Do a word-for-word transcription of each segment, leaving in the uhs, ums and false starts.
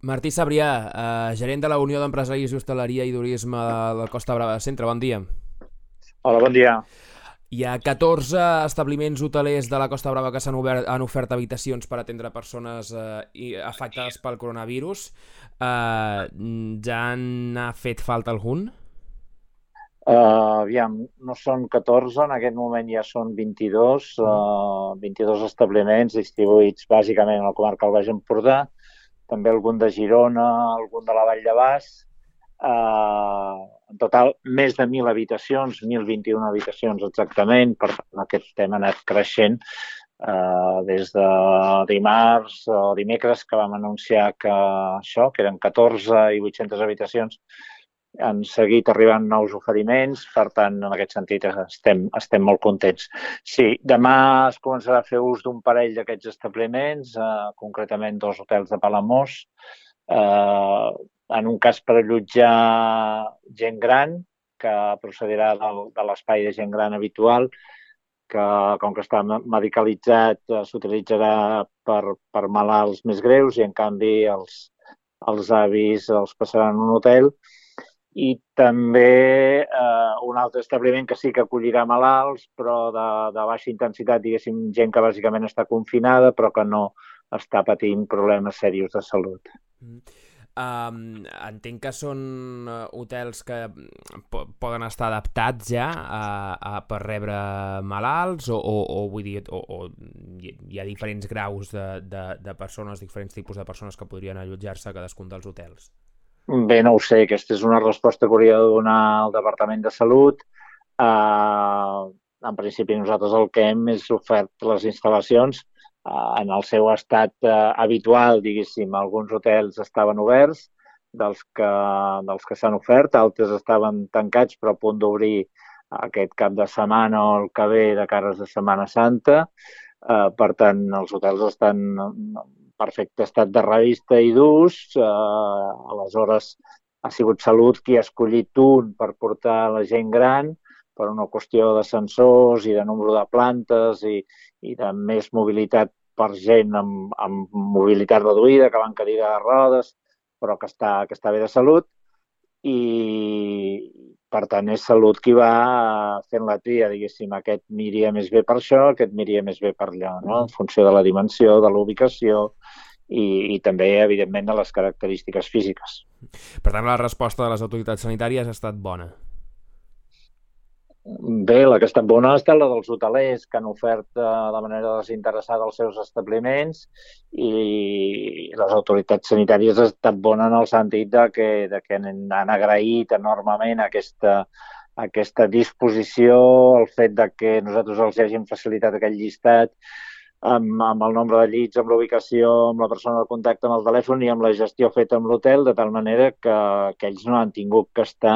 Martí Sabrià, eh, gerent de la Unió d'Empresaris d'Hostaleria i Turisme de Costa Brava Centre. Bon dia. Hola, bon dia. Hi ha catorze establiments hotelers de la Costa Brava que s'han obert, han ofert habitacions per atendre persones eh, i- afectades pel coronavirus. Eh, ja n'ha fet falta algun? Uh, aviam, no són catorze, en aquest moment ja són vint-i-dos, Mm. uh, vint-i-dos establiments distribuïts bàsicament a la comarca del Baix Empordà, també algun de Girona, algun de la Vall de Bas. Uh, en total, més de mil habitacions, deu vint i una habitacions exactament, per tant, aquest tema ha anat creixent uh, des de dimarts o dimecres que vam anunciar que això, que eren catorze i vuit-centes habitacions. Han seguit arribant nous oferiments, per tant, en aquest sentit estem, estem molt contents. Sí, demà es començarà a fer ús d'un parell d'aquests establiments, eh, concretament dos hotels de Palamós, eh, en un cas per allotjar gent gran, que procedirà del, de l'espai de gent gran habitual, que com que està medicalitzat eh, s'utilitzarà per, per malalts més greus i en canvi els, els avis els passaran a un hotel. I també eh, un altre establiment que sí que acollirà malalts, però de, de baixa intensitat, diguéssim, gent que bàsicament està confinada, però que no està patint problemes seriosos de salut. Mm. Um, entenc que són eh, hotels que mm, po poden estar adaptats ja a, a, per rebre malalts o, o, o vull dir, o, o hi ha diferents graus de, de, de persones, diferents tipus de persones que podrien allotjar-se a cadascun dels hotels. Bé, no ho sé, aquesta és una resposta que hauria de donar el Departament de Salut. Eh, en principi nosaltres el que hem és ofert les instal·lacions eh, en el seu estat eh, habitual, diguéssim. Alguns hotels estaven oberts, dels que, dels que s'han ofert, altres estaven tancats però a punt d'obrir aquest cap de setmana o el que ve de cares de Setmana Santa. Eh, per tant, els hotels estan en perfecte estat de revista i d'ús. Eh, aleshores, ha sigut Salut qui ha escollit un per portar la gent gran per una qüestió de sensors i de número de plantes i, i de més mobilitat per gent amb, amb mobilitat reduïda, que va en cadira de rodes, però que està, que està bé de salut. I, per tant, és Salut qui va fent la tria, diguéssim, aquest miria més bé per això, aquest miria més bé per allò, no? En funció de la dimensió, de la ubicació i, i també, evidentment, de les característiques físiques. Per tant, la resposta de les autoritats sanitàries ha estat bona. Bé, la que ha estat bona ha estat la dels hotelers que han ofert eh, de manera desinteressada els seus establiments i les autoritats sanitàries ha estat bona en el sentit de que, de que han agraït enormement aquesta, aquesta disposició, el fet de que nosaltres els hagin facilitat aquest llistat amb, amb el nombre de llits, amb la ubicació, amb la persona de contacte, amb el telèfon i amb la gestió feta amb l'hotel, de tal manera que, que ells no han tingut que estar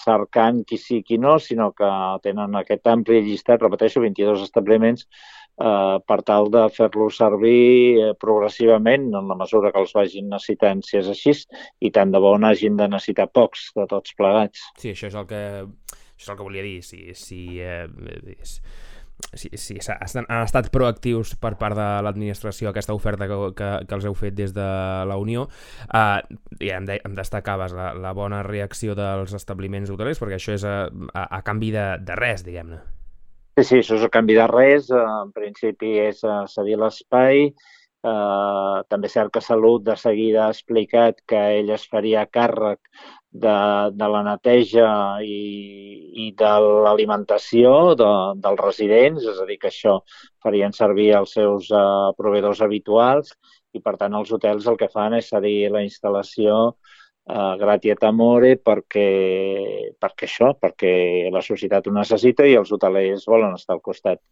cercant qui sí, qui no, sinó que tenen aquest ampli llistat, repeteixo, vint-i-dos establiments, eh, per tal de fer-los servir eh, progressivament en la mesura que els vagin necessitant, si és així, i tant de bo n'hagin de necessitar pocs de tots plegats. Sí, això és el que, això és el que volia dir. Si, si, eh, és, si, si han estat proactius per part de l'administració aquesta oferta que, que, que els heu fet des de la Unió, eh, i em, de, em destacaves la, la bona reacció dels establiments hotelers, perquè això és a, a, a canvi de, de res, diguem-ne. Sí, sí, això és a canvi de res. En principi és a cedir l'espai. Eh, també és cert que Salut de seguida ha explicat que ell es faria càrrec de, de la neteja i, i de l'alimentació de, dels residents, és a dir, que això farien servir els seus eh, proveïdors habituals i, per tant, els hotels el que fan és cedir la instal·lació uh, gratia et amore perquè, perquè això, perquè la societat ho necessita i els hotelers volen estar al costat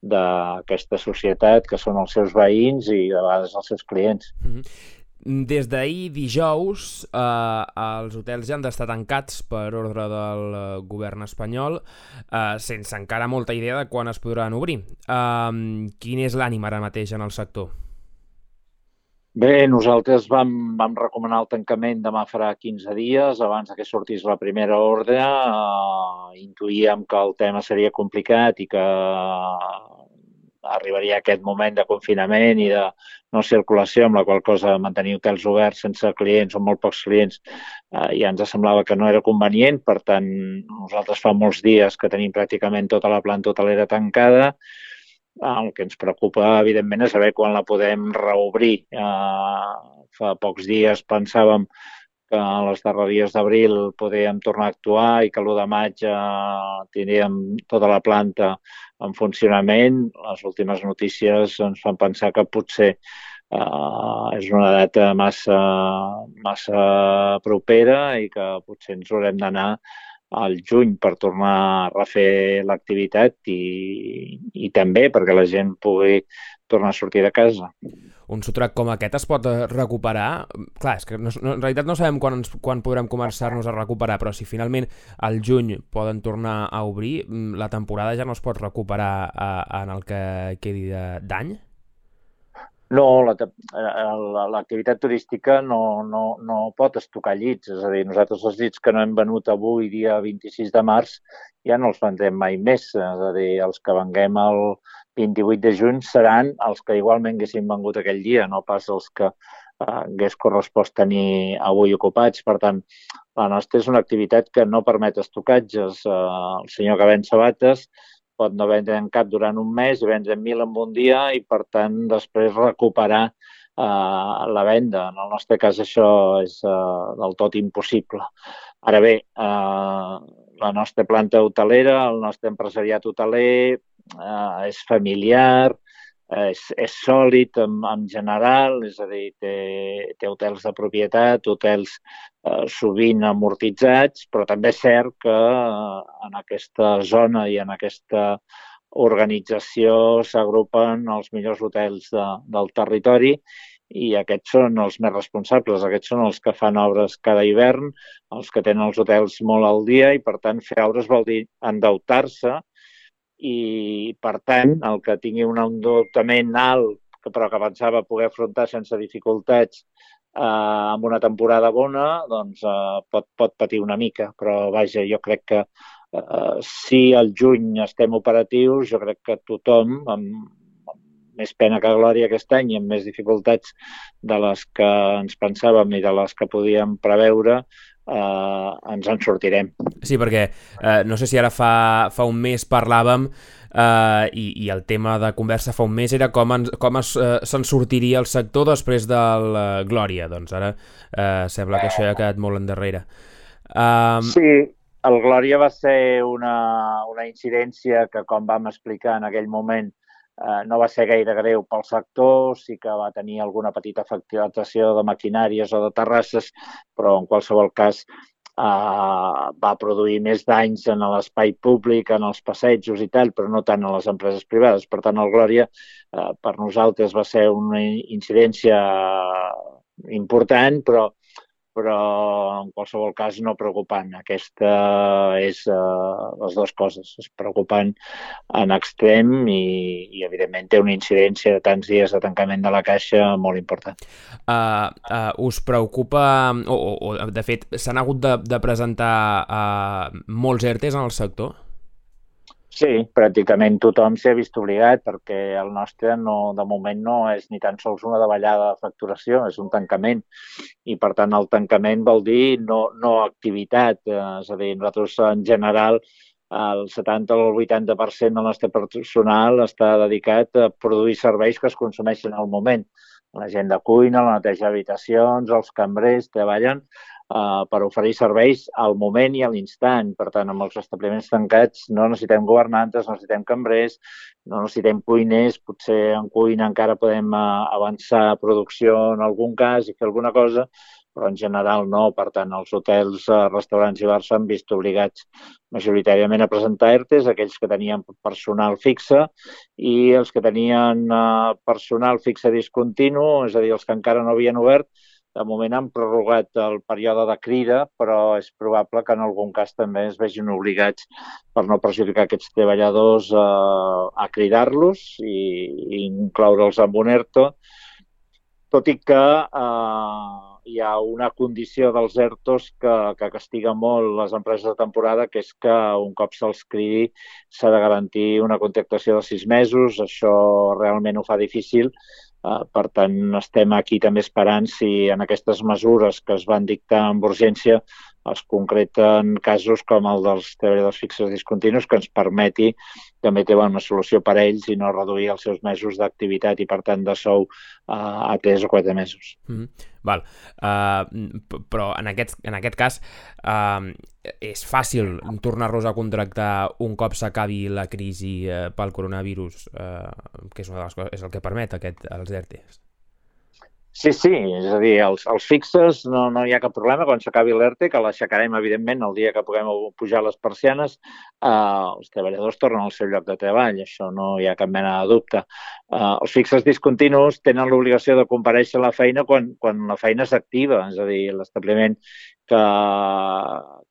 d'aquesta societat que són els seus veïns i de vegades els seus clients. Mm -hmm. Des d'ahir dijous eh, els hotels ja han d'estar tancats per ordre del eh, govern espanyol, eh, sense encara molta idea de quan es podran obrir. Eh, quin és l'ànim ara mateix en el sector? Bé, nosaltres vam, vam recomanar el tancament demà farà quinze dies, abans que sortís la primera ordre. Uh, intuïem que el tema seria complicat i que arribaria aquest moment de confinament i de no circulació, amb la qual cosa mantenir hotels oberts sense clients o molt pocs clients eh, ja ens semblava que no era convenient. Per tant, nosaltres fa molts dies que tenim pràcticament tota la planta hotelera tancada. El que ens preocupa, evidentment, és saber quan la podem reobrir. Eh, fa pocs dies pensàvem que a les darreries d'abril podíem tornar a actuar i que l'u de maig eh, tindríem tota la planta en funcionament. Les últimes notícies ens fan pensar que potser eh, és una data massa, massa propera i que potser ens haurem d'anar al juny per tornar a refer l'activitat i, i també perquè la gent pugui tornar a sortir de casa. Un sotrac com aquest es pot recuperar? Clar, és que no, no, en realitat no sabem quan, ens, quan podrem començar-nos a recuperar, però si finalment al juny poden tornar a obrir, la temporada ja no es pot recuperar a, en el que quedi d'any? No, l'activitat turística no, no, no pot estocar llits. És a dir, nosaltres els llits que no hem venut avui, dia vint-i-sis de març, ja no els vendrem mai més. És a dir, els que venguem el vint-i-vuit de juny seran els que igualment haguessin vengut aquell dia, no pas els que eh, hagués correspost tenir avui ocupats. Per tant, la nostra és una activitat que no permet estocatges. Eh, el senyor que ven sabates pot no vendre en cap durant un mes i vendre mil en un dia i, per tant, després recuperar eh, la venda. En el nostre cas això és eh, del tot impossible. Ara bé, eh, la nostra planta hotelera, el nostre empresariat hoteler eh, és familiar, és, és sòlid en, en general, és a dir, té, té hotels de propietat, hotels eh, sovint amortitzats, però també és cert que eh, en aquesta zona i en aquesta organització s'agrupen els millors hotels de, del territori i aquests són els més responsables, aquests són els que fan obres cada hivern, els que tenen els hotels molt al dia i, per tant, fer obres vol dir endeutar-se i, per tant, el que tingui un endeutament alt, però que pensava poder afrontar sense dificultats eh, amb una temporada bona, doncs eh, pot, pot patir una mica. Però, vaja, jo crec que eh, si al juny estem operatius, jo crec que tothom, amb, amb més pena que glòria aquest any i amb més dificultats de les que ens pensàvem i de les que podíem preveure, Uh, ens en sortirem. Sí, perquè uh, no sé si ara fa, fa un mes parlàvem uh, i, i el tema de conversa fa un mes era com, en, com es, uh, se'n sortiria el sector després del uh, Glòria. Doncs ara uh, sembla que això ja ha quedat molt endarrere. Um... Sí, el Glòria va ser una, una incidència que, com vam explicar en aquell moment, Eh, no va ser gaire greu pel sector, sí que va tenir alguna petita afectació de maquinàries o de terrasses, però en qualsevol cas eh, va produir més danys en l'espai públic, en els passejos i tal, però no tant en les empreses privades. Per tant, el Glòria eh, per nosaltres va ser una incidència important, però però en qualsevol cas no preocupant. Aquesta és uh, les dues coses. És preocupant en extrem i, i evidentment té una incidència de tants dies de tancament de la caixa molt important. Uh, uh, us preocupa, o, o, o de fet, s'han hagut de, de presentar uh, molts ERTEs en el sector? Sí, pràcticament tothom s'hi ha vist obligat perquè el nostre no, de moment no és ni tan sols una davallada de facturació, és un tancament i per tant el tancament vol dir no, no activitat, és a dir, nosaltres en general el setanta o el vuitanta per cent del nostre personal està dedicat a produir serveis que es consumeixen al moment. La gent de cuina, la neteja d'habitacions, els cambrers treballen Uh, per oferir serveis al moment i a l'instant. Per tant, amb els establiments tancats no necessitem governantes, no necessitem cambrers, no necessitem cuiners, potser en cuina encara podem uh, avançar producció en algun cas i fer alguna cosa, però en general no. Per tant, els hotels, uh, restaurants i bars s'han vist obligats majoritàriament a presentar ERTEs, aquells que tenien personal fixe i els que tenien uh, personal fixe discontinu, és a dir, els que encara no havien obert. De moment han prorrogat el període de crida, però és probable que en algun cas també es vegin obligats per no perjudicar aquests treballadors a, a cridar-los i, i incloure'ls amb un ERTO, tot i que eh, hi ha una condició dels ERTOs que, que castiga molt les empreses de temporada, que és que un cop se'ls cridi s'ha de garantir una contractació de sis mesos. Això realment ho fa difícil. Uh, per tant, estem aquí també esperant si en aquestes mesures que es van dictar amb urgència es concreten casos com el dels treballadors fixes discontinus, que ens permeti també tenir una solució per a ells i no reduir els seus mesos d'activitat i, per tant, de sou uh, a tres o quatre mesos. Mm-hmm. Val. Uh, però en aquest, en aquest cas uh, és fàcil tornar-los a contractar un cop s'acabi la crisi uh, pel coronavirus, uh, que és una de les coses, és el que permet aquest, els ERTEs. Sí, sí, és a dir, els, els fixes no, no hi ha cap problema quan s'acabi l'ERTE, que l'aixecarem, evidentment, el dia que puguem pujar les persianes. Eh, els treballadors tornen al seu lloc de treball, això no hi ha cap mena de dubte. Eh, els fixes discontinus tenen l'obligació de comparèixer a la feina quan, quan la feina s'activa, és a dir, l'establiment que,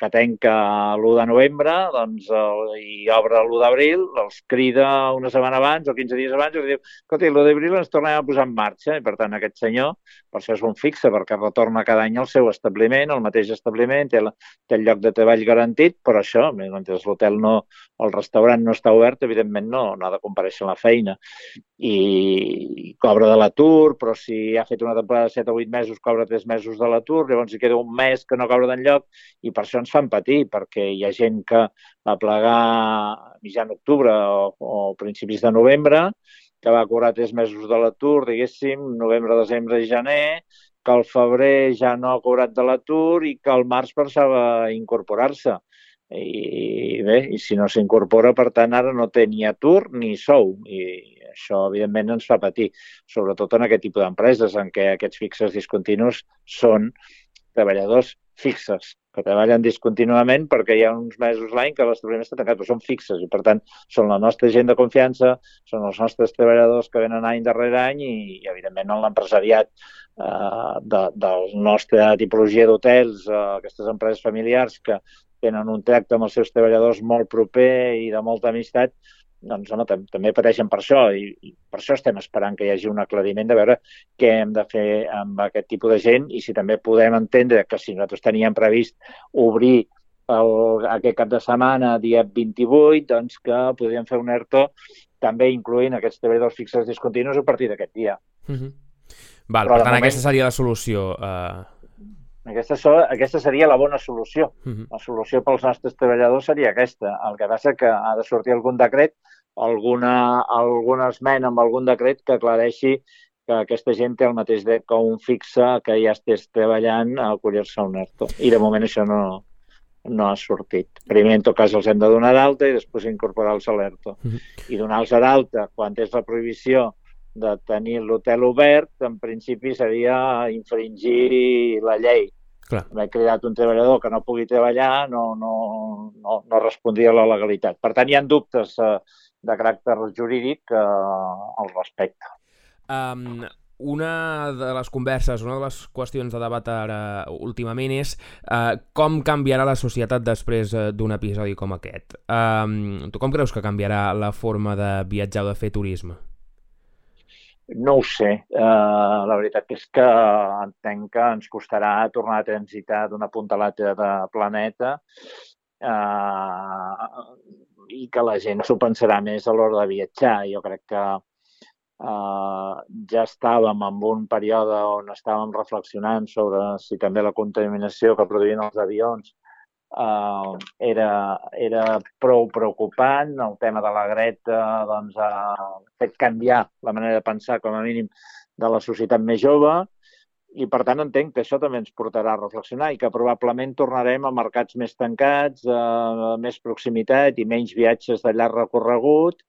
que tanca l'u de novembre doncs, el, i obre l'u d'abril, els crida una setmana abans o quinze dies abans i diu, escolta, l'u d'abril ens tornem a posar en marxa, i per tant aquest senyor, per això és un fixe, perquè retorna cada any al seu establiment, al mateix establiment, té, la, té el lloc de treball garantit, però això, mentre l'hotel no, el restaurant no està obert, evidentment no, no ha de comparèixer a la feina. I cobra de l'atur, però si ha fet una temporada de set o vuit mesos, cobra tres mesos de l'atur, llavors hi queda un mes que no cobra d'enlloc, i per això ens fan patir, perquè hi ha gent que va plegar mitjan octubre o, o principis de novembre, que va cobrar tres mesos de l'atur, diguéssim, novembre, desembre i gener, que al febrer ja no ha cobrat de l'atur i que al març pensava incorporar-se. I bé, i si no s'incorpora, per tant, ara no té ni atur ni sou. I això, evidentment, ens fa patir, sobretot en aquest tipus d'empreses en què aquests fixes discontinus són treballadors fixes, que treballen discontinuament perquè hi ha uns mesos l'any que l'establiment està tancat, però són fixes i, per tant, són la nostra gent de confiança, són els nostres treballadors que venen any darrere any i, i evidentment, en l'empresariat eh, de, de la nostra tipologia d'hotels, eh, aquestes empreses familiars que tenen un tracte amb els seus treballadors molt proper i de molta amistat, doncs home, també pateixen per això i, i per això estem esperant que hi hagi un aclariment de veure què hem de fer amb aquest tipus de gent i si també podem entendre que si nosaltres teníem previst obrir el, aquest cap de setmana, dia vint-i-vuit, doncs que podríem fer un ERTO també incloent aquests treballadors fixes discontinus a partir d'aquest dia. Mm-hmm. Val, Però per tant, moment, aquesta seria la solució. Uh... Aquesta, so, aquesta seria la bona solució. Uh-huh. La solució pels nostres treballadors seria aquesta. El que passa que ha de sortir algun decret, alguna, alguna esmena amb algun decret que aclareixi que aquesta gent té el mateix dret que un fixe que ja estés treballant a acollir-se a un ERTO. I de moment això no, no ha sortit. Primer, en tot cas, els hem de donar d'alta i després incorporar-los a l'ERTO. Uh-huh. I donar-los d'alta quan és la prohibició de tenir l'hotel obert, en principi seria infringir la llei. Clar. M'he cridat un treballador que no pugui treballar, no, no, no, no respondria a la legalitat. Per tant, hi ha dubtes eh, de caràcter jurídic eh, al respecte. Um, una de les converses, una de les qüestions de debat ara últimament és uh, com canviarà la societat després uh, d'un episodi com aquest. Um, tu com creus que canviarà la forma de viatjar o de fer turisme? No ho sé. Uh, la veritat és que entenc que ens costarà tornar a transitar d'una punta a l'altra de planeta uh, i que la gent s'ho pensarà més a l'hora de viatjar. Jo crec que uh, ja estàvem en un període on estàvem reflexionant sobre si també la contaminació que produïen els avions Uh, era, era prou preocupant. El tema de la Greta doncs, ha fet canviar la manera de pensar, com a mínim, de la societat més jove i, per tant, entenc que això també ens portarà a reflexionar i que probablement tornarem a mercats més tancats, a més proximitat i menys viatges de llarg recorregut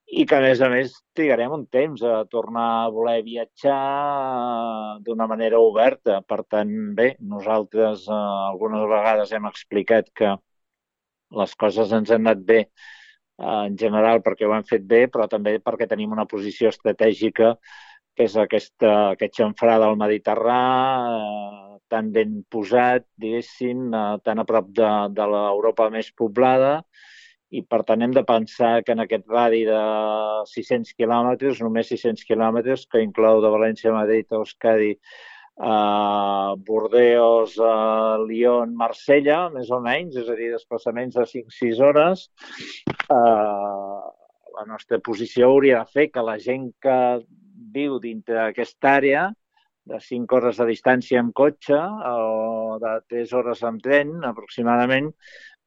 i que, a més a més, trigarem un temps a tornar a voler viatjar d'una manera oberta. Per tant, bé, nosaltres eh, algunes vegades hem explicat que les coses ens han anat bé eh, en general perquè ho hem fet bé, però també perquè tenim una posició estratègica que és aquesta, aquest xamfrà del Mediterrà, eh, tan ben posat, diguéssim, eh, tan a prop de, de l'Europa més poblada, i per tant hem de pensar que en aquest radi de sis-cents quilòmetres, només sis-cents quilòmetres, que inclou de València a Madrid a Euskadi Uh, Bordeus, uh, Lyon, Marsella, més o menys, és a dir, desplaçaments de cinc sis hores. Uh, la nostra posició hauria de fer que la gent que viu dintre d'aquesta àrea, de cinc hores de distància amb cotxe o de tres hores amb tren, aproximadament,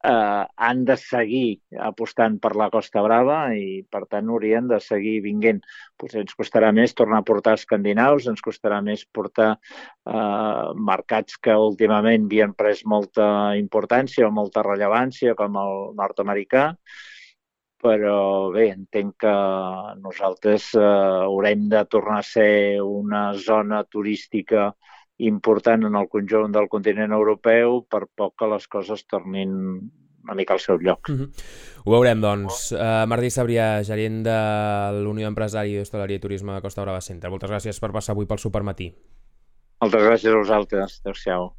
eh, han de seguir apostant per la Costa Brava i, per tant, haurien de seguir vinguent. Potser ens costarà més tornar a portar escandinaus, ens costarà més portar eh, mercats que últimament havien pres molta importància o molta rellevància, com el nord-americà, però bé, entenc que nosaltres eh, haurem de tornar a ser una zona turística important en el conjunt del continent europeu per poc que les coses tornin una mica al seu lloc. Mm-hmm. Ho veurem, doncs. Uh, Martí Sabrià, gerent de l'Unió Empresari d'Hostaleria i Turisme de Costa Brava Centre. Moltes gràcies per passar avui pel Supermatí. Moltes gràcies a vosaltres. Adéu-siau.